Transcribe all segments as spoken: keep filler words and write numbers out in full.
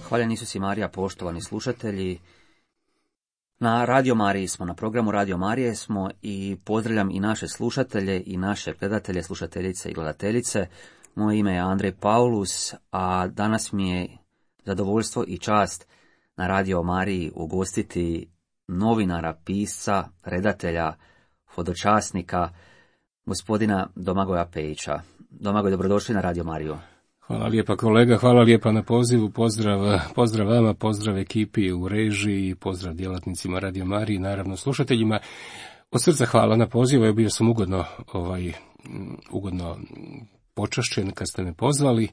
Hvaljen Isus i Marija, poštovani slušatelji. Na Radio Mariji smo, na programu Radio Marije smo i pozdravljam i naše slušatelje i naše gledatelje, slušateljice i gledateljice. Moje ime je Andrej Paulus, a danas mi je zadovoljstvo i čast na Radio Mariji ugostiti novinara, pisca, redatelja, hodočasnika, gospodina Domagoja Pejića. Domagoj, dobrodošli na Radio Mariju. Hvala lijepa kolega, hvala lijepa na pozivu, pozdrav, pozdrav vama, pozdrav ekipi u režiji, pozdrav djelatnicima Radio Mariji, naravno slušateljima. Od srca hvala na pozivu, ja bio sam ugodno, ovaj, ugodno počašćen kad ste me pozvali.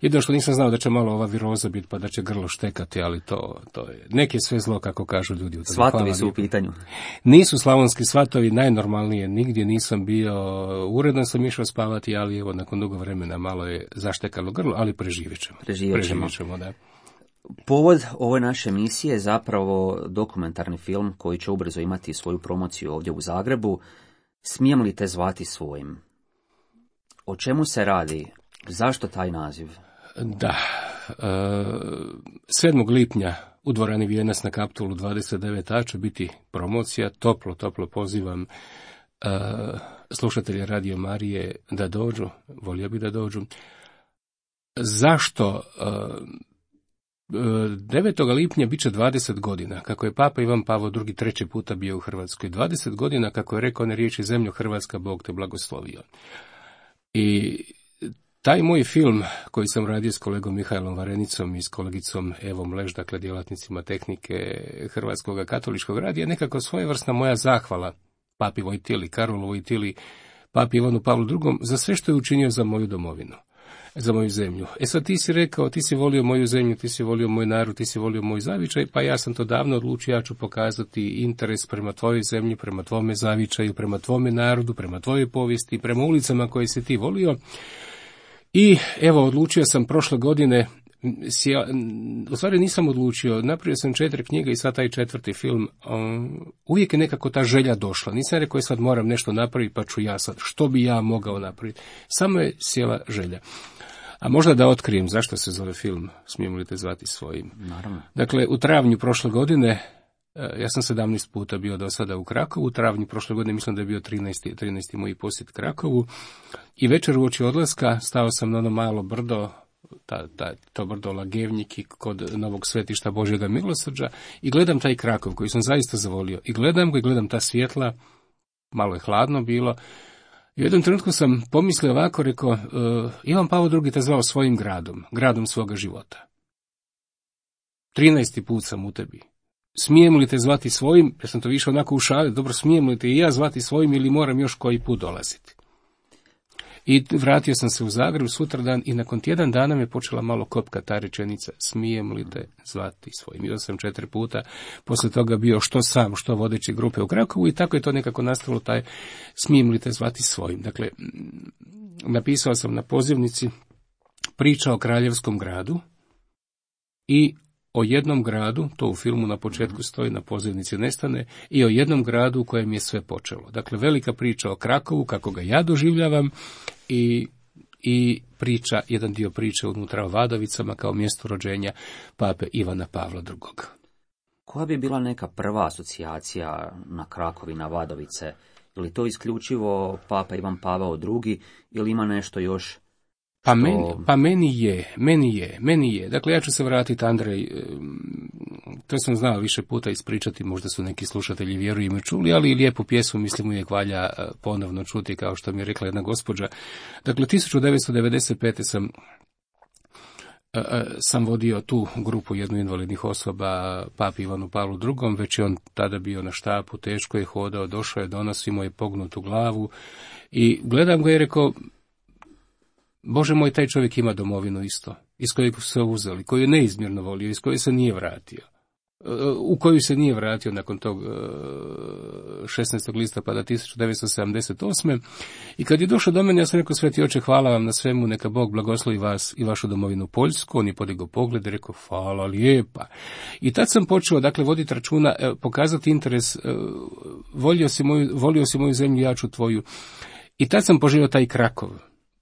Jedino što nisam znao da će malo ova viroza biti pa da će grlo štekati, ali to, to je, nek je sve zlo kako kažu ljudi. Svatovi su u pitanju. Nisu slavonski svatovi, najnormalnije, nigdje nisam bio, uredno sam išao spavati, ali evo nakon dugo vremena malo je zaštekalo grlo, ali preživjet ćemo. Preživjet ćemo. Preživjet ćemo, da. Povod ove naše emisije je zapravo dokumentarni film koji će ubrzo imati svoju promociju ovdje u Zagrebu. Smijem li te zvati svojim? O čemu se radi? Zašto taj naziv? Da, sedmog lipnja u dvorani Vijenac na Kaptolu dvadeset devet a će biti promocija. Toplo, toplo pozivam slušatelje Radio Marije da dođu, volio bi da dođu. Zašto? devetog lipnja bit će dvadeset godina, kako je Papa Ivan Pavao drugi treći puta bio u Hrvatskoj. dvadeset godina, kako je rekao one riječi: zemljo Hrvatska, Bog te blagoslovio. I taj moj film koji sam radio s kolegom Mihajlom Varenicom i s kolegicom Evom Leš, dakle djelatnicima tehnike Hrvatskog katoličkog radija, nekako svojevrsna moja zahvala Papi Vojtili, Karolu Vojtili, Papi Ivanu Pavlu drugom za sve što je učinio za moju domovinu, za moju zemlju. E sad ti si rekao, ti si volio moju zemlju, ti si volio moj narod, ti si volio moj zavičaj, pa ja sam to davno odlučio, ja ću pokazati interes prema tvojoj zemlji, prema tvome zavičaju, prema tvome narodu, prema tvojoj povijesti, prema ulicama koje si ti volio. I evo, odlučio sam prošle godine, u stvari nisam odlučio, napravio sam četiri knjige i sad taj četvrti film, um, uvijek je nekako ta želja došla. Nisam rekao sad moram nešto napraviti pa ću ja sad, što bi ja mogao napraviti. Samo je sjela želja. A možda da otkrijem zašto se zove film Smijemo li te zvati svojim. Naravno. Dakle, u travnju prošle godine, ja sam sedamnaest puta bio do sada u Krakovu, u travnju prošle godine mislim da je bio trinaesti, trinaesti moj posjet Krakovu i večer uoči odlaska stao sam na ono malo brdo, ta, ta, to brdo Lagevnjiki kod Novog Svetišta Božjega milosrđa i gledam taj Krakov koji sam zaista zavolio i gledam ga i gledam ta svjetla, malo je hladno bilo. I u jednom trenutku sam pomislio ovako, rekao, uh, Ivan Pavao drugi te zvao svojim gradom, gradom svoga života. trinaesti put sam u tebi. Smijem li te zvati svojim? Ja sam to više onako u šali, dobro, smijem li te i ja zvati svojim ili moram još koji put dolaziti? I vratio sam se u Zagreb sutradan i nakon tjedan dana me počela malo kopka ta rečenica, smijem li te zvati svojim? Bio sam četiri puta, poslije toga bio što sam, što vodeći grupe u Krakovu i tako je to nekako nastalo taj smijem li te zvati svojim. Dakle, napisao sam na pozivnici priča o kraljevskom gradu i o jednom gradu, to u filmu na početku stoji, na pozivnici nestane, i o jednom gradu u kojem je sve počelo. Dakle, velika priča o Krakovu, kako ga ja doživljavam, i, i priča, jedan dio priče unutra o Vadovicama kao mjesto rođenja Pape Ivana Pavla drugog. Koja bi bila neka prva asocijacija na Krakov i na Vadovice? Je li to isključivo Papa Ivan Pavao drugi ili ima nešto još? Pa meni, pa meni je, meni je, meni je. Dakle, ja ću se vratiti, Andrej, to sam znao više puta ispričati, možda su neki slušatelji vjerujem i čuli, ali i lijepu pjesmu, mislim, uvijek valja ponovno čuti, kao što mi je rekla jedna gospođa. Dakle, tisuću devetsto devedeset pete sam sam vodio tu grupu jednu invalidnih osoba Papi Ivanu Pavlu drugom, već je on tada bio na štapu, teško je hodao, došao je, donosi mu je pognutu glavu i gledam ga i rekao, Bože moj, taj čovjek ima domovinu isto, iz kojeg su se uzeli, koju je neizmjerno volio, iz koje se nije vratio, u koju se nije vratio nakon tog šesnaestog listopada tisuću devetsto sedamdeset osme. I kad je došao do mene, ja sam rekao, Sveti Oče, hvala vam na svemu, neka Bog blagoslovi vas i vašu domovinu Poljsku. On je podigao pogled i rekao, hvala lijepa. I tad sam počeo, dakle, voditi računa, pokazati interes, volio si moju, volio si moju zemlju, ja ću tvoju. I tad sam poželio taj Krakov.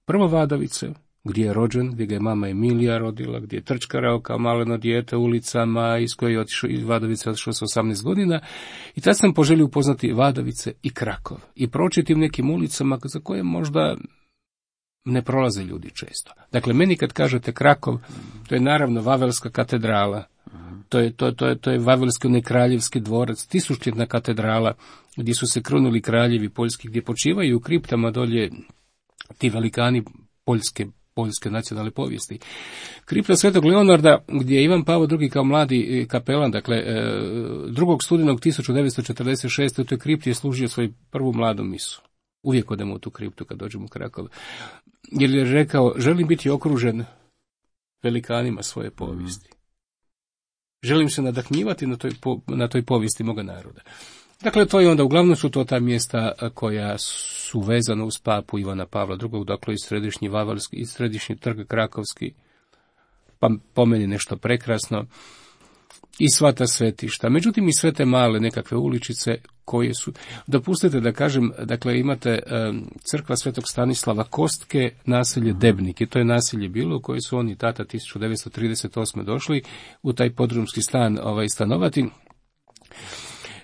Prvo Vadovice, gdje je rođen, gdje ga je mama Emilija rodila, gdje je trčkarao kao maleno dijete ulicama, iz koje je otišao, iz Vadovice otišao sa osamnaest godina. I tad sam poželio upoznati Vadovice i Krakov i proći tim nekim ulicama za koje možda ne prolaze ljudi često. Dakle, meni kad kažete Krakov, to je naravno Vavelska katedrala, to je, to, to je, to je Vavelski onaj kraljevski dvorac, tisućljetna katedrala, gdje su se krunili kraljevi poljski, gdje počivaju u kriptama dolje ti velikani poljske, poljske nacionalne povijesti. Kripta Svetog Leonarda, gdje je Ivan Pavao drugi kao mladi kapelan, dakle, drugog studenog tisuću devetsto četrdeset šeste. u toj kripti je služio svoju prvu mladu misu. Uvijek odemo u tu kriptu kad dođemo u Krakov. Jer je rekao, želim biti okružen velikanima svoje povijesti. Želim se nadahnjivati na toj, na toj povijesti moga naroda. Dakle, to je onda, uglavnom su to ta mjesta koja su vezana uz papu Ivana Pavla drugog, dakle i središnji Vavelski, i središnji trg Krakovski, pa po meni nešto prekrasno, i sva ta svetišta. Međutim, i sve te male nekakve uličice koje su, dopustite da kažem, dakle, imate um, crkva Svetog Stanislava Kostke, naselje Debnik, i to je naselje bilo u koje su oni tata tisuću devetsto trideset osme došli u taj podrumski stan ovaj, stanovati.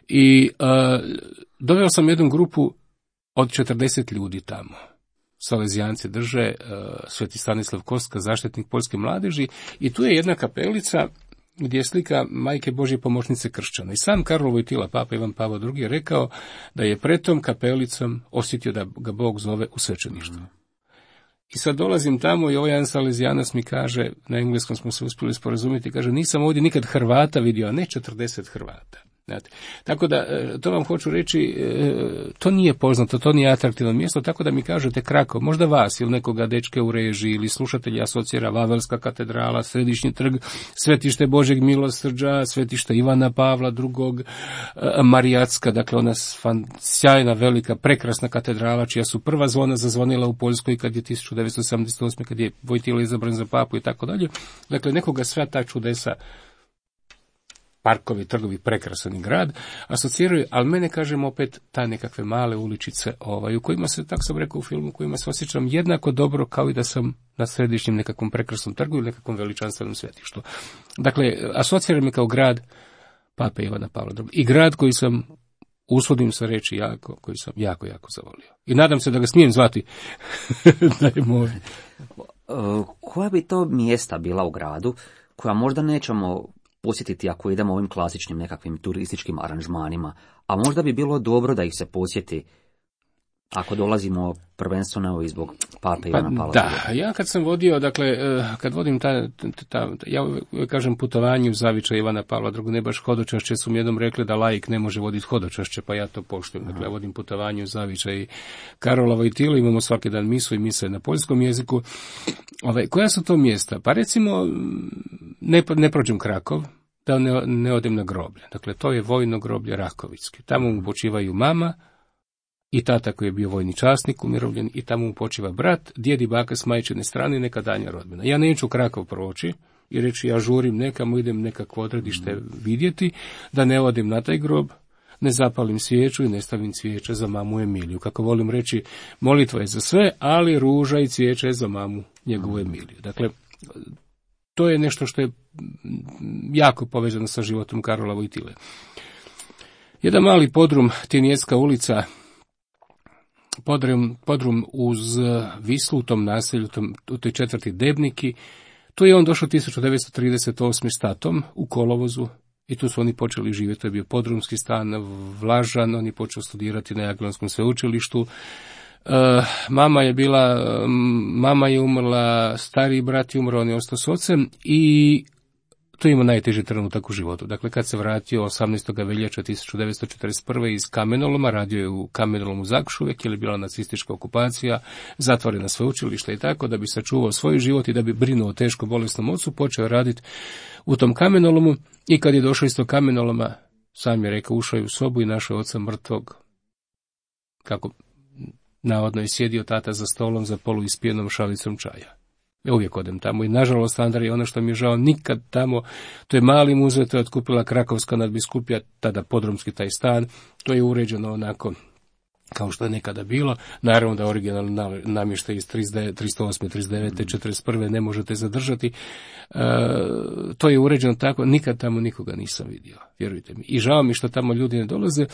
I uh, doveo sam jednu grupu od četrdeset ljudi tamo. Salezijanci drže, uh, Sveti Stanislav Kostka, zaštitnik poljske mladeži, i tu je jedna kapelica gdje je slika Majke Božje pomoćnice kršćana. I sam Karol Vojtila, papa Ivan Pavao drugi, je rekao da je pred tom kapelicom osjetio da ga Bog zove u svećeništvo. I sad dolazim tamo i ovaj jedan salezijanac mi kaže, na engleskom smo se uspjeli sporazumjeti, kaže, nisam ovdje nikad Hrvata vidio, a ne četrdeset Hrvata. Znate. Tako da, to vam hoću reći, to nije poznato, to nije atraktivno mjesto, tako da mi kažete Krakov, možda vas ili nekoga dečke u režiji ili slušatelji asocira Vavelska katedrala, središnji trg, svetište Božeg milosrđa, svetište Ivana Pavla drugog, Marijatska, dakle ona fan, sjajna, velika, prekrasna katedrala, čija su prva zvona zazvonila u Poljskoj kad je tisuću devetsto osamdeset osme. kad je Vojtila izabran za papu i tako dalje. Dakle, nekoga sva ta čudesa, parkovi, trgovi, prekrasan grad, asociraju, ali mene, kažem, opet ta nekakve male uličice, ovaj, u kojima se, tako sam rekao u filmu, u kojima se osjećam jednako dobro kao i da sam na središnjem nekakvom prekrasnom trgu ili nekakvom veličanstvenom svetištu. Dakle, asociram me kao grad pape Ivana Pavla drugog. I grad koji sam, usudim se reći jako, koji sam jako, jako zavolio. I nadam se da ga smijem zvati da je moj. Koja bi to mjesta bila u gradu koja možda nećemo posjetiti ako idemo ovim klasičnim nekakvim turističkim aranžmanima, a možda bi bilo dobro da ih se posjeti ako dolazimo prvenstveno i zbog pape Ivana Pavla. Da, ja kad sam vodio, dakle, kad vodim ta, ta, ta ja kažem putovanje u zavičaj Ivana Pavla drugog, ne baš hodočašće, su mi jednom rekli da laik ne može voditi hodočašće, pa ja to poštujem. Dakle, ja vodim putovanje u zavičaj Karola Vojtila, imamo svaki dan misu i mise na poljskom jeziku. Ove, koja su to mjesta? Pa recimo, ne, ne prođem Krakov, da ne, ne odem na groblje. Dakle, to je vojno groblje Rakovicki. Tamo mu počivaju mama i tata koji je bio vojni časnik, umirovljen, i tamo mu počiva brat, djed i baka s majčine strane i neka danja rodbina. Ja neću Krakov proći i reći ja žurim nekamo, idem nekakvo odredište vidjeti, da ne odim na taj grob, ne zapalim svijeću i ne stavim cvijeće za mamu Emiliju. Kako volim reći, molitva je za sve, ali ruža i cvijeće je za mamu njegovu Emiliju. Dakle, to je nešto što je jako povezano sa životom Karola Vojtile. Jedan mali podrum, Tinjecka ulica, podrum, podrum uz Vislu u tom naselju, tom, u toj četvrti Debniki. Tu je on došao tisuću devetsto trideset osme s tatom u kolovozu i tu su oni počeli živjeti. To je bio podrumski stan, Vlažan, on je počeo studirati na Jagiellonskom sveučilištu. Uh, mama je bila, mama je umrla, stariji brat je umro, on je ostao s ocem i to je imao najteži trenutak u životu. Dakle, kad se vratio osamnaestog veljače tisuću devetsto četrdeset prve iz Kamenoloma, radio je u Kamenolomu Zakšuvek, jer je bila nacistička okupacija, zatvorena sveučilišta i tako, da bi sačuvao svoj život i da bi brinuo o teško bolesnom ocu, počeo raditi u tom Kamenolomu i kad je došao iz tog Kamenoloma, sam je rekao, ušao je u sobu i našao oca mrtvog, kako navodno je sjedio tata za stolom za polu ispijenom šalicom čaja. Ja uvijek odem tamo i nažalost, Andrej, ono što mi je žao, nikad tamo, to je mali muzej, to je otkupila Krakovska nadbiskupija, tada podrumski taj stan, to je uređeno onako kao što je nekada bilo. Naravno da originalni namještaj iz tristo osme, tristo devete, četrdeset prve ne možete zadržati. E, to je uređeno tako, nikad tamo nikoga nisam vidio, vjerujte mi. I žao mi što tamo ljudi ne dolaze.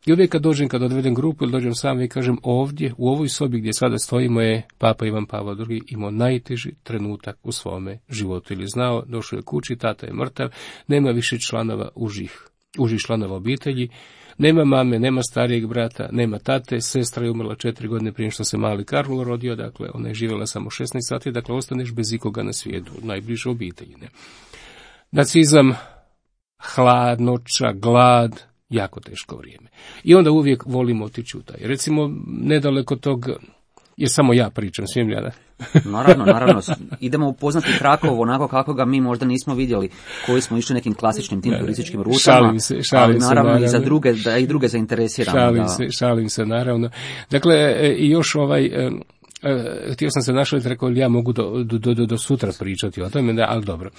I uvijek kad dođem, kad odvedem grupu ili dođem sam i kažem ovdje, u ovoj sobi gdje sada stojimo je Papa Ivan Pavao drugi imao najteži trenutak u svome životu. Ili znao, došao je kući, tata je mrtav, nema više članova užih, užih članova obitelji, nema mame, nema starijeg brata, nema tate, sestra je umrla četiri godine prije što se mali Karlo rodio, dakle ona je živjela samo šesnaest sati, dakle ostaneš bez ikoga na svijetu, najbliže obitelji. Ne? Nacizam, hladnoća, glad, jako teško vrijeme. I onda uvijek volimo otići u taj. Recimo, nedaleko tog, jer samo ja pričam, smijem ja da? Naravno, naravno. Idemo upoznati Krakov onako kako ga mi možda nismo vidjeli, koji smo išli nekim klasičnim tim turističkim rutama. Šalim se, šalim ali naravno, se, naravno. I za druge, da i druge zainteresiramo. Šalim da... se, šalim se, naravno. Dakle, i još ovaj... Uh, htio sam se našaliti, rekao li ja mogu do, do, do, do sutra pričati o tome, da, ali dobro.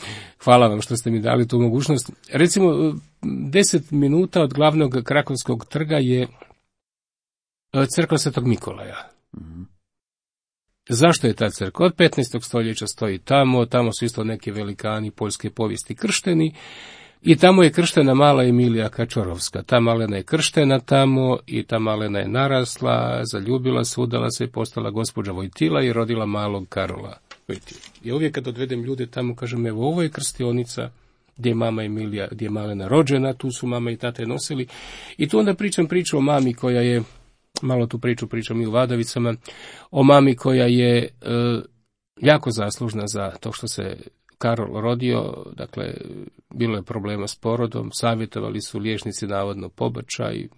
Hvala vam što ste mi dali tu mogućnost. Recimo, deset minuta od glavnog krakovskog trga je crkva Svetog Mikolaja. Mm-hmm. Zašto je ta crkva? Od petnaestog stoljeća stoji tamo, tamo su isto neki velikani poljske povijesti kršteni. I tamo je krštena mala Emilija Kačorovska. Ta malena je krštena tamo i ta malena je narasla, zaljubila se, udala se, postala gospođa Vojtila i rodila malog Karola Vojtila. I uvijek kad odvedem ljude tamo, kažem, evo, ovo je krstionica gdje je mama Emilija, gdje je malena rođena, tu su mama i tate nosili. I tu onda pričam priču o mami koja je, malo tu priču pričam i u Vadavicama, o mami koja je e, jako zaslužna za to što se Karol rodio, dakle, bilo je problema s porodom, savjetovali su liječnici navodno pobačaj,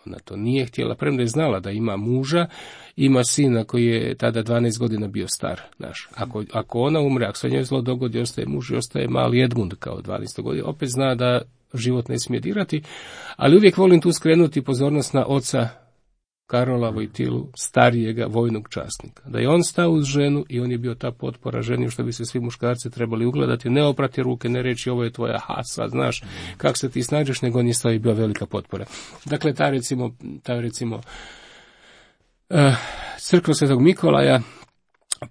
ona to nije htjela, premda je znala da ima muža, ima sina koji je tada dvanaest godina bio star, znaš. Ako, ako ona umre, ako se njoj zlo dogodi, ostaje muž i ostaje mali Edmund kao dvanaest godina, opet zna da život ne smije dirati, ali uvijek volim tu skrenuti pozornost na oca Karola Vojtilu, starijega vojnog časnika. Da je on stao uz ženu i on je bio ta potpora ženi, što bi se svi muškarci trebali ugledati, ne oprati ruke, ne reći ovo je tvoja hasa, znaš kako se ti snađeš, nego on je stao i bio velika potpora. Dakle, ta recimo, ta recimo uh, crkva Svetog Mikolaja,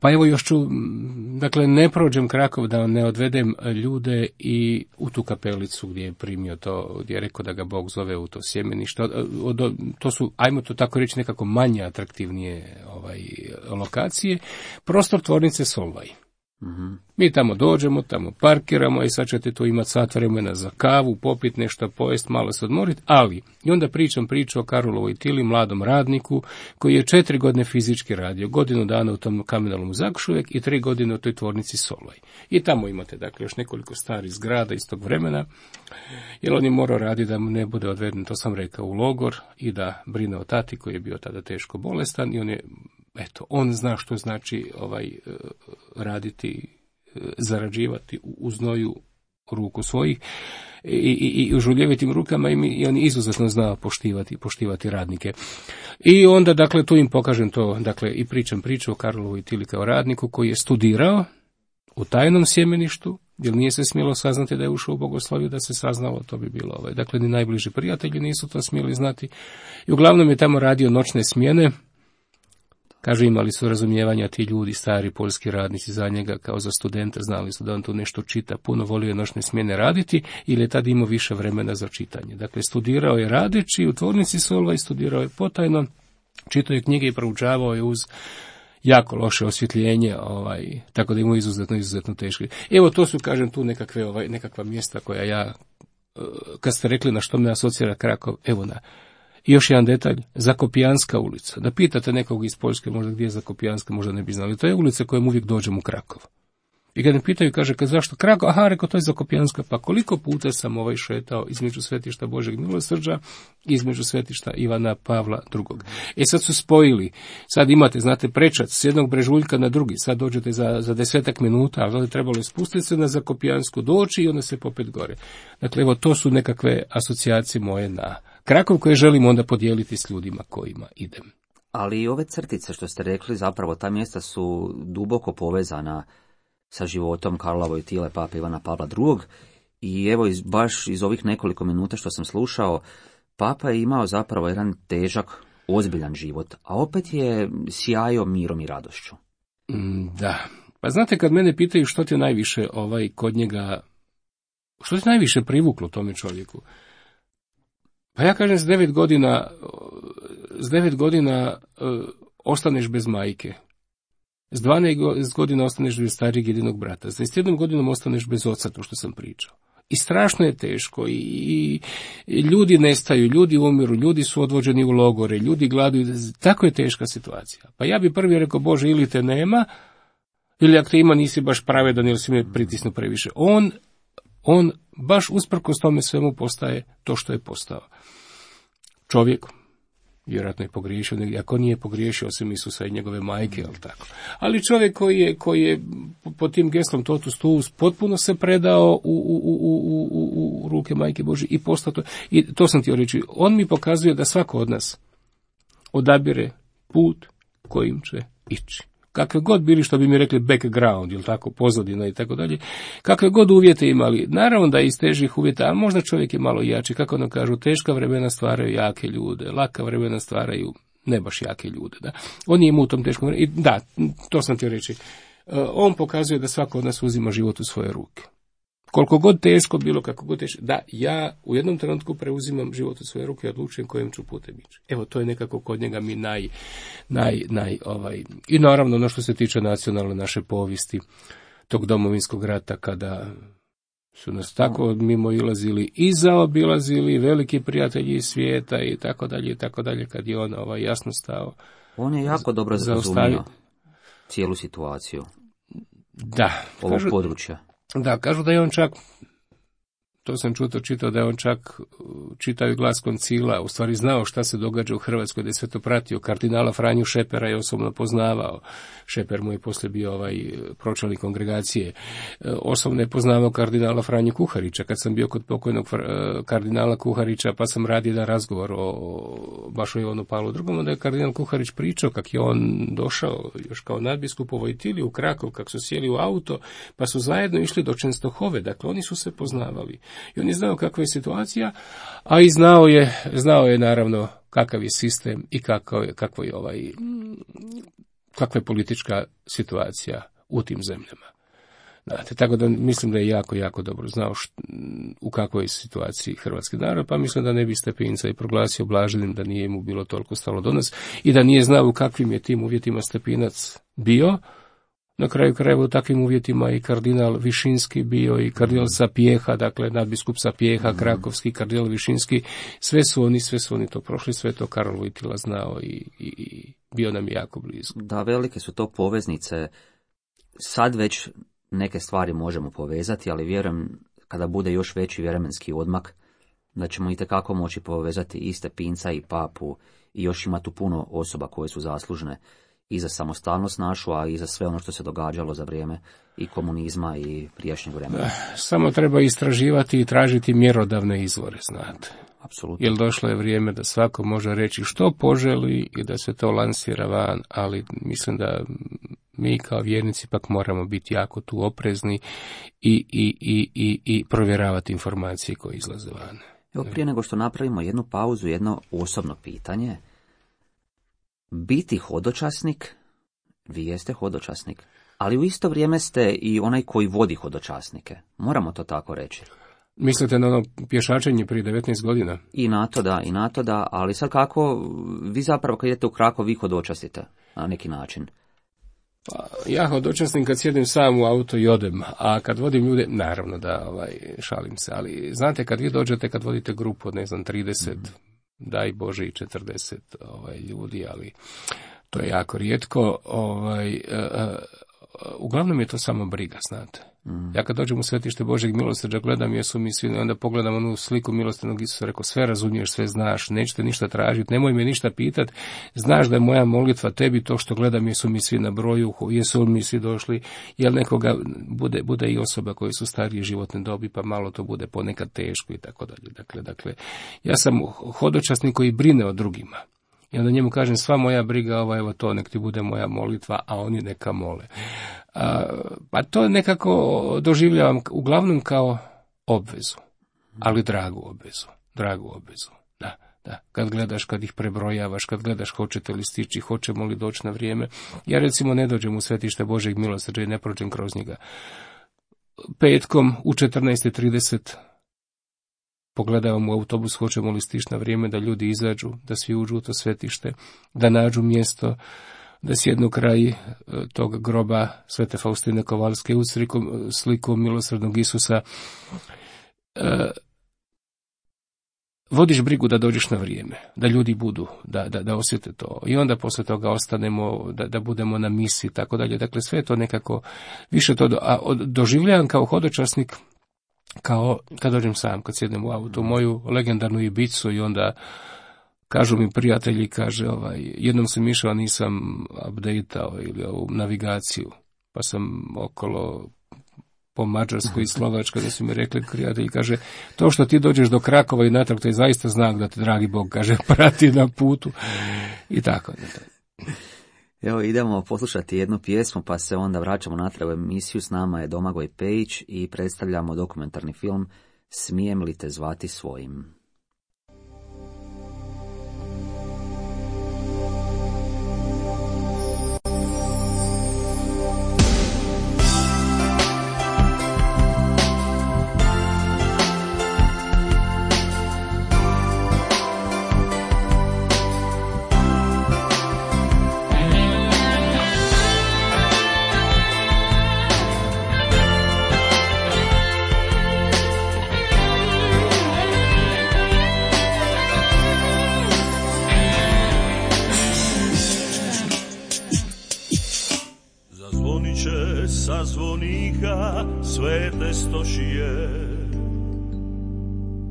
pa evo još ću, dakle, ne prođem Krakov da ne odvedem ljude i u tu kapelicu gdje je primio to, gdje je rekao da ga Bog zove u to sjemenište. To su, ajmo to tako reći, nekako manje atraktivnije ovaj, lokacije. Prostor tvornice Solvaj. Mm-hmm. Mi tamo dođemo, tamo parkiramo i sad ćete tu imati sat vremena za kavu, popit nešto, pojest, malo se odmoriti, ali i onda pričam priču o Karolu Vojtili, mladom radniku, koji je četiri godine fizički radio, godinu dana u tom kamenolom Zakušuvek i tri godine u toj tvornici Solvaj. I tamo imate, dakle, još nekoliko starih zgrada iz tog vremena, jer on je morao raditi da mu ne bude odveden, to sam rekao, u logor i da brine o tati koji je bio tada teško bolestan i on je, eto, on zna što znači ovaj raditi, zarađivati u znoju ruku svojih i, i, i u žuljevitim rukama i, mi, i on izuzetno zna poštivati, poštivati radnike. I onda, dakle, tu im pokažem to, dakle, i pričam priču o Karolu Vojtili kao radniku koji je studirao u tajnom sjemeništu, jer nije se smjelo saznati da je ušao u bogosloviju, da se saznalo, to bi bilo ovaj. Dakle, ni najbliži prijatelji nisu to smjeli znati. I uglavnom je tamo radio noćne smjene. Kaže, imali su razumijevanja ti ljudi, stari poljski radnici za njega, kao za studenta, znali su da on tu nešto čita, puno volio noćne smjene raditi, ili je tad imao više vremena za čitanje. Dakle, studirao je radeći u tvornici Solvaj, studirao je potajno, čitao je knjige i proučavao je uz jako loše osvjetljenje, ovaj, tako da imao izuzetno, izuzetno teško. Evo, to su, kažem, tu nekakve, ovaj, nekakva mjesta koja ja, kad ste rekli na što me asocira Krakov, evo na. I još jedan detalj, Zakopijanska ulica. Da pitate nekog iz Poljske, možda gdje je Zakopijanska, možda ne bi znali. To je ulica kojom uvijek dođem u Krakov. I kad me pitaju, kaže, kad zašto Krakov? Aha, rekao, to je Zakopijanska. Pa koliko puta sam ovaj šetao između svetišta Božeg milosrđa i između svetišta Ivana Pavla drugog. E sad su spojili. Sad imate, znate, prečac s jednog brežuljka na drugi. Sad dođete za, za desetak minuta, ali trebalo je spustiti se na Zakopijansku, doći i onda se popet gore. Dakle, evo, to su nekakve asocijacije moje na Krakov koje želim onda podijeliti s ljudima kojima idem. Ali i ove crtice što ste rekli, zapravo ta mjesta su duboko povezana sa životom Karla Vojtile, pape Ivana Pavla drugog. I evo, iz, baš iz ovih nekoliko minuta što sam slušao, papa je imao zapravo jedan težak ozbiljan život, a opet je sjajao mirom i radošću. Da. Pa znate, kad mene pitaju što ti najviše ovaj kod njega, što ti najviše privuklo tome čovjeku? Pa ja kažem, s devet godina, s devet godina uh, ostaneš bez majke. S dvanaest godina ostaneš bez starijeg jedinog brata. S dvadeset jednom godinom ostaneš bez oca, to što sam pričao. I strašno je teško, i, i, i ljudi nestaju, ljudi umiru, ljudi su odvođeni u logore, ljudi gladuju, tako je teška situacija. Pa ja bi prvi rekao, Bože, ili te nema, ili ako te ima nisi baš pravedan, ili si me pritisnu previše. On, on baš usprkos tome svemu postaje to što je postao. Čovjek, vjerojatno je pogriješio negdje, ako nije pogriješio osim Isusa i njegove majke, ali tako. Ali čovjek koji je, koji je pod tim geslom totus tuus potpuno se predao u, u, u, u, u, u ruke majke Božje i postao to. I to sam htio reći, on mi pokazuje da svako od nas odabire put kojim će ići. Kakve god bili, što bi mi rekli, background, ili tako, pozadina i tako dalje, kakve god uvjete imali, naravno da iz težih uvjeta, a možda čovjek je malo jači, kako nam kažu, teška vremena stvaraju jake ljude, laka vremena stvaraju ne baš jake ljude, da. On je imao u tom teškom vremenu, i da, to sam htio reći, on pokazuje da svako od nas uzima život u svoje ruke. Koliko god teško bilo, kako god teško, da, ja u jednom trenutku preuzimam život u svoje ruke i odlučujem kojim ću putem ići. Evo, to je nekako kod njega mi naj, naj, naj, ovaj, i naravno ono što se tiče nacionalne naše povijesti, tog Domovinskog rata, kada su nas tako mimo ilazili i zaobilazili veliki prijatelji iz svijeta i tako dalje, i tako dalje, kad je on ovaj, jasno stao. On je jako dobro razumio cijelu situaciju. Da. Ovog kažu, područja. Da, kažu da je on čak, to sam čuto čitao, da je on čak čitao i Glas koncila, u stvari znao šta se događa u Hrvatskoj, da je sve to pratio. Kardinala Franju Šepera je osobno poznavao. Šeper mu je poslije bio ovaj pročelnik kongregacije. Osobno je poznavao kardinala Franju Kuharića. Kad sam bio kod pokojnog kardinala Kuharića, pa sam radio jedan razgovor o baš o Ivanu Pavlu drugom, onda je kardinal Kuharić pričao kako je on došao još kao nadbiskup u Vojtili u Krakov, kako su sjeli u auto, pa su zajedno išli do Čenstohove. Dakle, oni su se poznavali. I on je znao kakva je situacija, a i znao je, znao je naravno kakav je sistem i kako je, kako je ovaj, kakva je politička situacija u tim zemljama. Znate, tako da mislim da je jako, jako dobro znao št, u kakvoj je situaciji hrvatski narod, pa mislim da ne bi Stepinca i proglasio blaženim, da nije mu bilo toliko stalo do nas i da nije znao u kakvim je tim uvjetima Stepinac bio. Na kraju krajeva u takvim uvjetima i kardinal Višinski bio i kardinal Sapieha, dakle nadbiskup Sapieha, krakovski kardinal Višinski, sve su oni, sve su oni to prošli, sve to Karol Vojtila znao i, i, i bio nam jako blizu. Da, velike su to poveznice. Sad već neke stvari možemo povezati, ali vjerujem kada bude još veći vremenski odmak, da ćemo itekako moći povezati i Stepinca i papu i još ima tu puno osoba koje su zaslužne i za samostalnost našu, a i za sve ono što se događalo za vrijeme i komunizma i prijašnjeg vremena. Samo treba istraživati i tražiti mjerodavne izvore, znate. Apsolutno. Jer došlo je vrijeme da svako može reći što poželi i da se to lansira van, ali mislim da mi kao vjernici pak moramo biti jako tu oprezni i, i, i, i, i provjeravati informacije koje izlaze van. Evo, prije nego što napravimo jednu pauzu, jedno osobno pitanje. Biti hodočasnik, vi jeste hodočasnik, ali u isto vrijeme ste i onaj koji vodi hodočasnike. Moramo to tako reći. Mislite na ono pješačenje prije devetnaest godina? I na to da, i na to da, ali sad kako, vi zapravo kad idete u Krakov, vi hodočastite na neki način. Pa, ja hodočastim kad sjedim sam u auto i odem, a kad vodim ljude, naravno da ovaj, šalim se, ali znate kad vi dođete, kad vodite grupu od ne znam trideset, mm. daj Bože i četrdeset ovaj, ljudi, ali to je jako rijetko. Ovaj, uh, uh, uglavnom je to samo briga, znate. Mm. Ja kad dođem u svetište Božjeg milosrđa, gledam jesu mi svi, onda pogledam onu sliku milosrdnog Isusa, rekao sve razumiješ, sve znaš, nećete ništa tražiti, nemoj me ništa pitati, znaš da je moja molitva tebi to što gledam jesu mi svi na broju, jesu mi svi došli, jel nekoga bude, bude i osoba koje su starije životne dobi, pa malo to bude ponekad teško i tako dalje. Dakle, dakle, ja sam hodočasnik koji brine o drugima. I onda njemu kažem, sva moja briga, ovo, evo to, nek ti bude moja molitva, a oni neka mole. A, pa to nekako doživljavam uglavnom kao obvezu, ali dragu obvezu, dragu obvezu. Da. Da, kad gledaš, kad ih prebrojavaš, kad gledaš hoćete li stići, hoćemo li doći na vrijeme. Ja recimo ne dođem u svetište Božjeg milosrđa i ne prođem kroz njega. Petkom u četrnaest i trideset pogledavam u autobus, hoćemo li stići na vrijeme, da ljudi izađu, da svi uđu u to svetište, da nađu mjesto, da sjednu kraj tog groba Svete Faustine Kovalske uz sliku milosrdnog Isusa. E, vodiš brigu da dođeš na vrijeme, da ljudi budu, da, da, da osjete to. I onda poslije toga ostanemo, da, da budemo na misi i tako dalje. Dakle, sve to nekako više to, do, a doživljavam kao hodočasnik, kao kad dođem sam, kad sjednem u auto, moju legendarnu Ibicu i onda kažu mi prijatelji, kaže, ovaj, jednom sam išao, nisam updateao ili ovu navigaciju, pa sam okolo po Mađarskoj i Slovačkoj, da su mi rekli prijatelji, kaže, to što ti dođeš do Krakova i natrag, to je zaista znak da te dragi Bog, kaže, prati na putu i tako. Evo, idemo poslušati jednu pjesmu, pa se onda vraćamo natrag u emisiju. S nama je Domagoj Pejić i predstavljamo dokumentarni film Smijem li te zvati svojim? Sa zvonika svete stošije,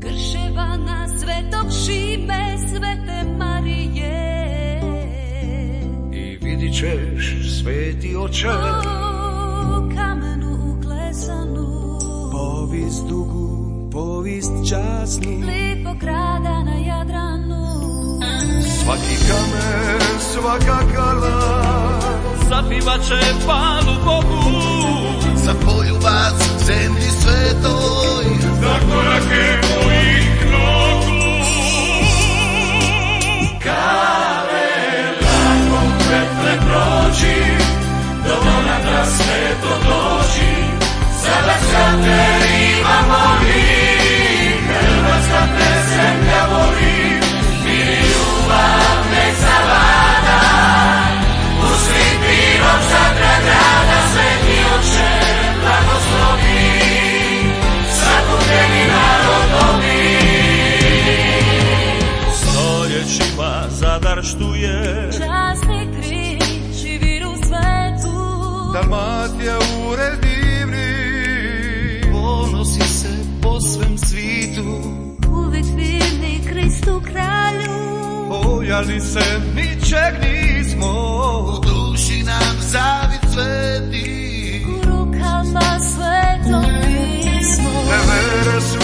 Krševana, Svetog Šime, Svete Marije, i vidit ćeš, sveti oče, o kamenu uklesanu, povijest dugu, povijest časnu, lipog grada na Jadranu. Svaki kamen, svaka kala zapivat će palu Bogu, za poljubac zemlji svetoj, za korake mojih nogu. Kale, lagom Petre prođi, do monatra sveto dođi, sada sad te ima moli, Hrvatska te zemlja voli, mir i ljubav nek zavlada, usli pirog Zadra grada, sveti oče blagoslovi, sakupljeni narod obi. Stoljećima Zadar štuje, Časni križ i vir u svetu, Dalmatija ured divni, ponosi se po svem svitu, uvijek vjerni Kristu kralju. bojali se ničeg nismo, u duši nam zavit sveti, U rukama Sveto pismo, nevere su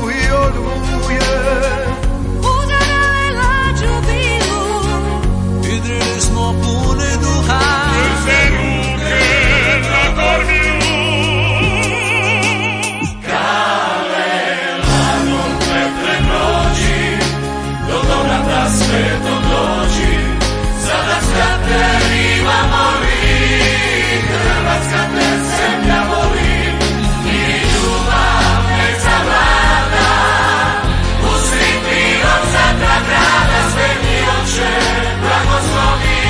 i odvuje, udarale lađu bilu, idrili smo pune duha, se ruke na kormiju. Kale, lagom Petre prođi, do dobrata sveto dođi, sada skate riva moli, Hrvatska te zemlja voli, mir i ljubav nek zavlada, usri pirog Zadra grada, sveti oče blagoslovi,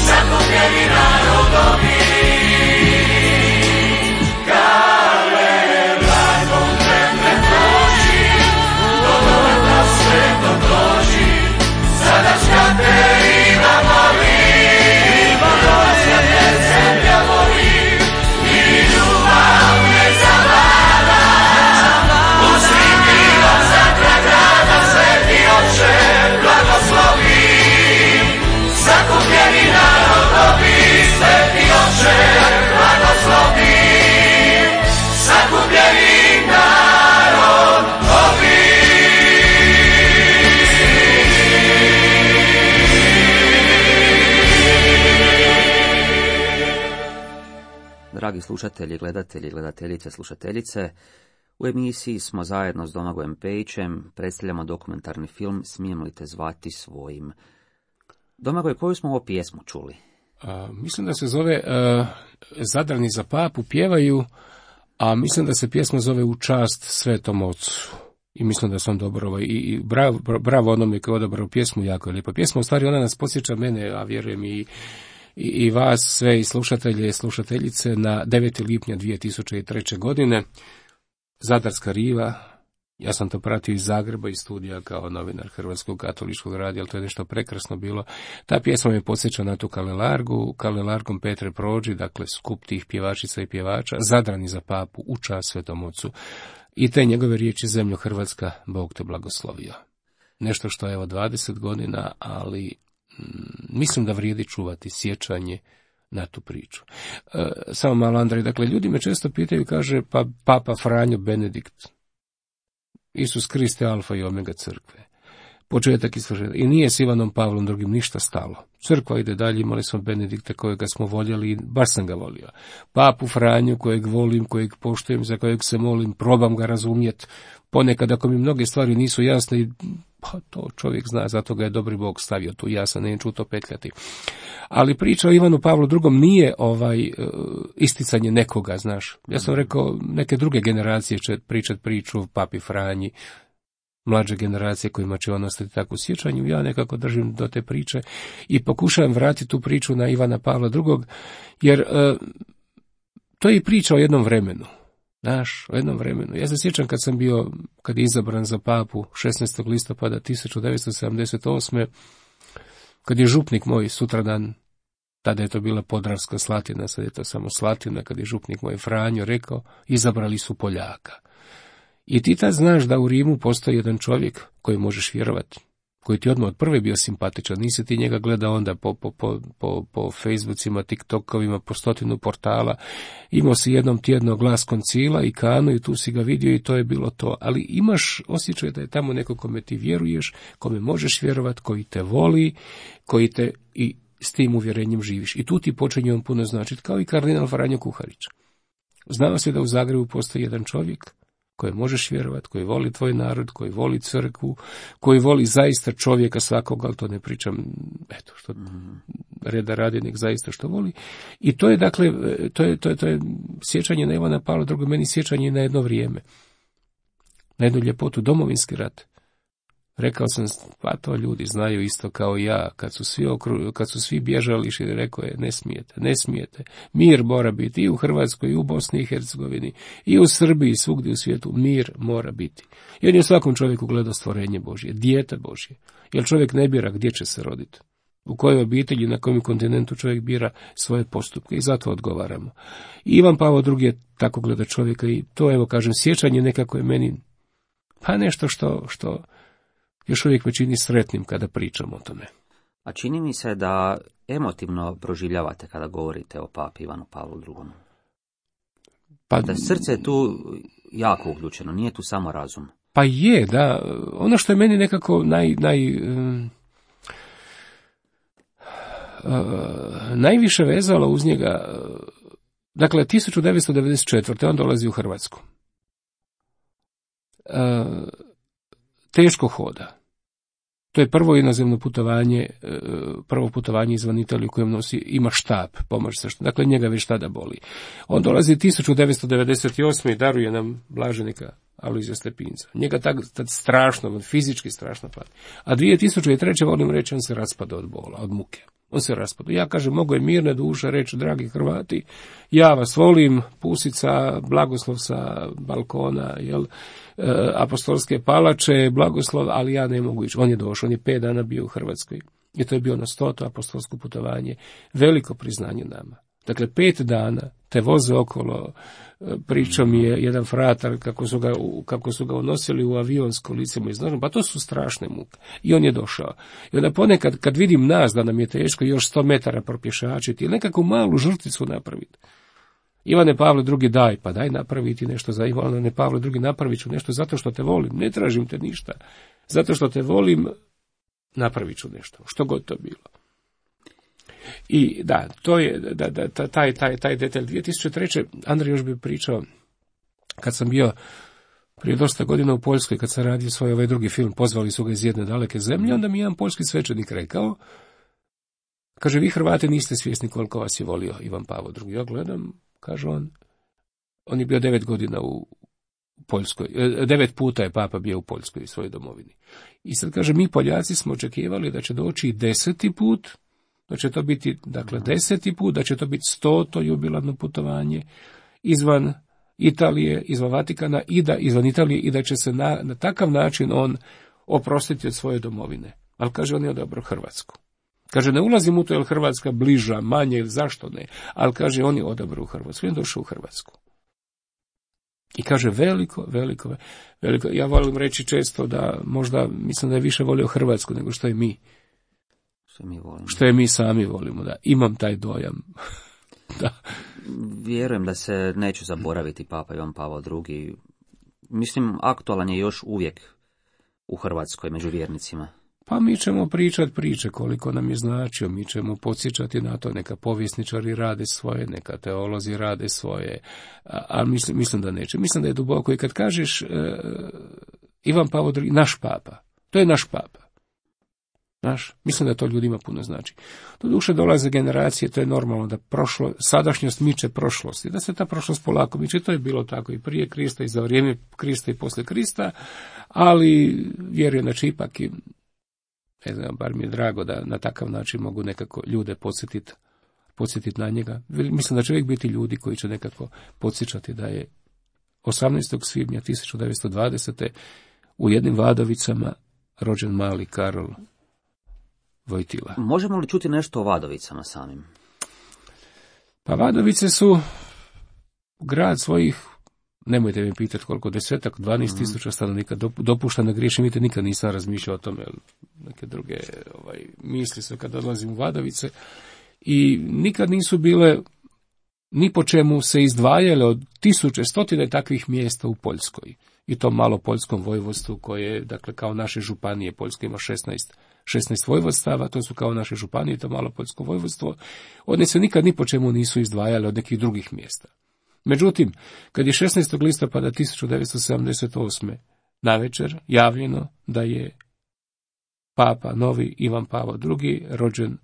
sakupljeni narod obi. Kale, lagom Petre prođi, do dobrata sveto dođi, sada skate riva moli, Hrvatska te zemlja voli, mir i ljubav nek zavlada, usri pirog Zadra grada, sveti oče blagoslovi, sakupljeni narod obi, sveti oče blagoslovi, sakupljeni narod obi. Dragi slušatelji, gledatelji, gledateljice, slušateljice, U emisiji smo zajedno s Domagojem Pejićem, predstavljamo dokumentarni film Smijem li te zvati svojim. Domagoj, koju smo ovo pjesmu čuli? A, mislim da se zove uh, Zadrani za papu pjevaju, a mislim da se pjesma zove U čast Svetom Ocu. I mislim da sam dobro, ovaj, i, i bravo, bravo onome koji je odabrao pjesmu, jako je lijepa pjesma. U stvari ona nas podsjeća mene, a vjerujem i, i, i vas sve i slušatelje i slušateljice na devetog lipnja dvije tisuće treće. godine. Zadarska riva, ja sam to pratio iz Zagreba, iz studija kao novinar Hrvatskog katoličkog radija, ali to je nešto prekrasno bilo. Ta pjesma me podsjeća na tu Kalelargu, Kalelargom Petre Prođi, dakle skup tih pjevačica i pjevača, Zadrani za papu, u čast Svetom Ocu. I te njegove riječi, zemljo Hrvatska, Bog te blagoslovio. Nešto što je evo dvadeset godina, ali mm, mislim da vrijedi čuvati sjećanje na tu priču. E, samo malo, Andrej, dakle, ljudi me često pitaju, kaže, pa Papa Franjo Benedikt, Isus Krist je alfa i omega crkve, početak i svršetak. I nije s Ivanom Pavlom drugim ništa stalo. Crkva ide dalje, imali smo Benedikta kojega smo voljeli i baš sam ga volio. Papu Franju kojeg volim, kojeg poštujem, za kojeg se molim, probam ga razumjeti. Ponekad ako mi mnoge stvari nisu jasne, pa to čovjek zna, zato ga je dobri Bog stavio tu, ja sam neću to petljati. Ali priča o Ivanu Pavlu drugom nije ovaj isticanje nekoga, znaš. Ja sam rekao, neke druge generacije će pričati priču o Papi Franji, mlađe generacije kojima će on ostati tako u sjećanju, ja nekako držim do te priče i pokušavam vratiti tu priču na Ivana Pavla drugog, jer e, to je i priča o jednom vremenu, znaš, o jednom vremenu. Ja se sjećam kad sam bio, kad je izabran za papu šesnaestog listopada tisuću devetsto sedamdeset osme. kad je župnik moj sutradan, tada je to bila Podravska Slatina, sad je to samo Slatina, kad je župnik moj Franjo rekao, izabrali su Poljaka. I ti tad znaš da u Rimu postoji jedan čovjek koji možeš vjerovati, koji ti odmah od prve bio simpatičan, nisi ti njega gledao onda po, po, po, po, po Facebookima, TikTokovima, po stotinu portala, imao si jednom tjedno glas koncila i kanu i tu si ga vidio i to je bilo to, ali imaš osjećaj da je tamo neko kome ti vjeruješ, kome možeš vjerovati, koji te voli, koji te i s tim uvjerenjem živiš. I tu ti počinje on puno značiti, kao i kardinal Franjo Kuharić. Znao se da u Zagrebu postoji jedan čovjek koji možeš vjerovati, koji voli tvoj narod, koji voli crkvu, koji voli zaista čovjeka svakoga, ali to ne pričam, eto, što reda radi, nek zaista što voli. I to je, dakle, to je, to je, to je sjećanje na Ivana Pavla drugo, meni sjećanje na jedno vrijeme, na jednu ljepotu, Domovinski rat. Rekao sam, pa to ljudi znaju isto kao i ja, kad su svi, okru, kad su svi bježali, i rekao je, ne smijete, ne smijete. Mir mora biti i u Hrvatskoj, i u Bosni i Hercegovini, i u Srbiji, svugdje u svijetu, mir mora biti. I on je u svakom čovjeku gledao stvorenje Božje, dijete Božje. Jer čovjek ne bira gdje će se roditi, u kojoj obitelji, na kojem kontinentu čovjek bira svoje postupke i zato odgovaramo. I Ivan Pavao drugi je tako gleda čovjeka i to, evo kažem, sjećanje nekako je meni, pa nešto što, što još uvijek me čini sretnim kada pričam o tome. A čini mi se da emotivno proživljavate kada govorite o papi Ivanu Pavlu drugom. Pa da srce je tu jako uključeno, nije tu samo razum. Pa je, da. Ono što je meni nekako naj, naj, um, uh, najviše vezalo uz njega, dakle, tisuću devetsto devedeset četvrte. on dolazi u Hrvatsku. Uh, teško hoda. To je prvo inozemno putovanje, prvo putovanje izvan Italije u kojem nosi, ima štab, pomoć se, dakle njega već tada boli. On dolazi tisuću devetsto devedeset osme. i daruje nam blaženika Alojzija Stepinca. Njega tad, tad strašno, fizički strašno pati. A dvije tisuće treće. volim reći, on se raspada od bola, od muke. On se raspada. Ja kažem, mogu je mirne duše reći, dragi Hrvati, ja vas volim, pusica, blagoslov sa balkona, jel, e, apostolske palače, blagoslov, ali ja ne mogu ići. On je došao, on je pet dana bio u Hrvatskoj. I to je bio na stoto apostolsko putovanje. Veliko priznanje nama. Dakle, pet dana te voze okolo, pričao mi je jedan fratar kako su ga, kako su ga unosili u avion s kolicima iznožnom, pa to su strašne muke. I on je došao. I onda ponekad, kad vidim nas da nam je teško još sto metara propješačiti ili nekakvu malu žrtvicu napraviti, Ivane Pavle drugi, daj, pa daj napraviti nešto za Ivane Pavle drugi, napravit ću nešto zato što te volim, ne tražim te ništa. Zato što te volim, napravit ću nešto, što god to bilo. I da, to je da, da, taj, taj, taj detalj. dvije tisuće treće. Andrej još bi pričao, kad sam bio prije dosta godina u Poljskoj, kad sam radio svoj ovaj drugi film, pozvali su ga iz jedne daleke zemlje, onda mi jedan poljski svećenik rekao, kaže, vi Hrvati niste svjesni koliko vas je volio Ivan Pavao drugi. Ja gledam, kaže on, on je bio devet godina u Poljskoj, devet puta je papa bio u Poljskoj, svojoj domovini. I sad kaže, mi Poljaci smo očekivali da će doći deseti put, da će to biti, dakle, deseti put, da će to biti stoto jubilarno putovanje izvan Italije, izvan Vatikana i da izvan Italije i da će se na, na takav način on oprostiti od svoje domovine. Ali kaže, on je odabrao Hrvatsku. Kaže, ne ulazim u to je li Hrvatska bliža, manje ili zašto ne, ali kaže, on je odabrao Hrvatsku, on je došao u Hrvatsku. I kaže, veliko, veliko, veliko, ja volim reći često da možda, mislim da je više volio Hrvatsku nego što je mi. Što mi volimo. Što je mi sami volimo, da. Imam taj dojam. Da. Vjerujem da se neću zaboraviti Papa Ivan Pavao drugi. Mislim, aktualan je još uvijek u Hrvatskoj među vjernicima. Pa mi ćemo pričati priče koliko nam je značio, mi ćemo podsjećati na to, neka povjesničari rade svoje, neka teolozi rade svoje, ali mislim, mislim da neće. Mislim da je duboko i kad kažeš uh, Ivan Pavao drugi, naš papa, to je naš papa. Naš, mislim da to ljudima puno znači. Doduše dolaze generacije, to je normalno da prošlo, sadašnjost miče prošlosti, da se ta prošlost polako miče, to je bilo tako i prije Krista i za vrijeme Krista i poslije Krista, ali vjerujem da će ipak i, ne znam, bar mi je drago da na takav način mogu nekako ljude podsjetiti podsjetiti na njega. Mislim da će uvijek biti ljudi koji će nekako podsjećati da je osamnaestog svibnja tisuću devetsto dvadesete u jednim Vadovicama rođen mali Karol Vojtila. Možemo li čuti nešto o Vadovicama samim? Pa Vadovice su grad svojih, nemojte mi pitati koliko, desetak, dvanaest tisuća stanovnika, dopušta na griješim, vidite, nikad nisam razmišljao o tome, neke druge ovaj, misli su kad odlazim u Vadovice, i nikad nisu bile ni po čemu se izdvajale od tisuće, stotine takvih mjesta u Poljskoj. I to malo poljskom vojvodstvu koje, dakle, kao naše županije, Poljska ima šesnaest, šesnaest vojvodstava, to su kao naše županije, to malo poljsko vojvodstvo, one se nikad ni po čemu nisu izdvajale od nekih drugih mjesta. Međutim, kad je šesnaestog listopada tisuću devetsto sedamdeset osme navečer javljeno da je papa novi Ivan Pavao drugi rođen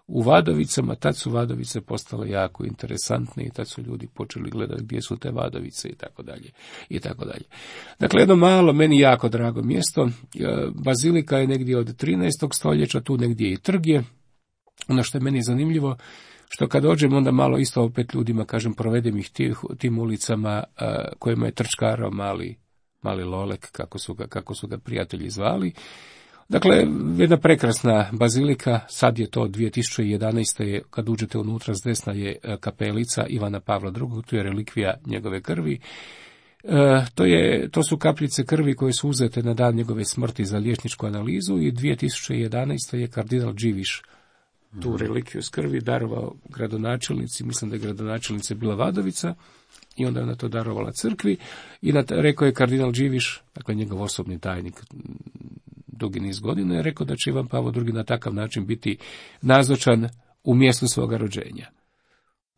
u Vadovicama, tad su Vadovice postale jako interesantne i tad su ljudi počeli gledati gdje su te Vadovice i tako dalje i tako dalje. Dakle, jedno malo, meni jako drago mjesto. Bazilika je negdje od trinaestog stoljeća, tu negdje i trg je. Ono što je meni zanimljivo, što kad dođem, onda malo isto opet ljudima, kažem, provedem ih tih, tim ulicama kojima je trčkarao mali, mali Lolek, kako su ga, kako su ga prijatelji zvali. Dakle, jedna prekrasna bazilika, sad je to dvije tisuće jedanaeste. Kad uđete unutra s desna je kapelica Ivana Pavla drugog, tu je relikvija njegove krvi. E, to, je, to su kapljice krvi koje su uzete na dan njegove smrti za liječničku analizu i dvije tisuće jedanaeste. je kardinal Điviš tu relikviju s krvi darovao gradonačelnici, mislim da je gradonačelnica bila Vadovica, i onda je ona to darovala crkvi, i na, rekao je kardinal Điviš, dakle njegov osobni tajnik dugi niz godina, je rekao da će Ivan Pavao drugi na takav način biti nazočan u mjestu svoga rođenja.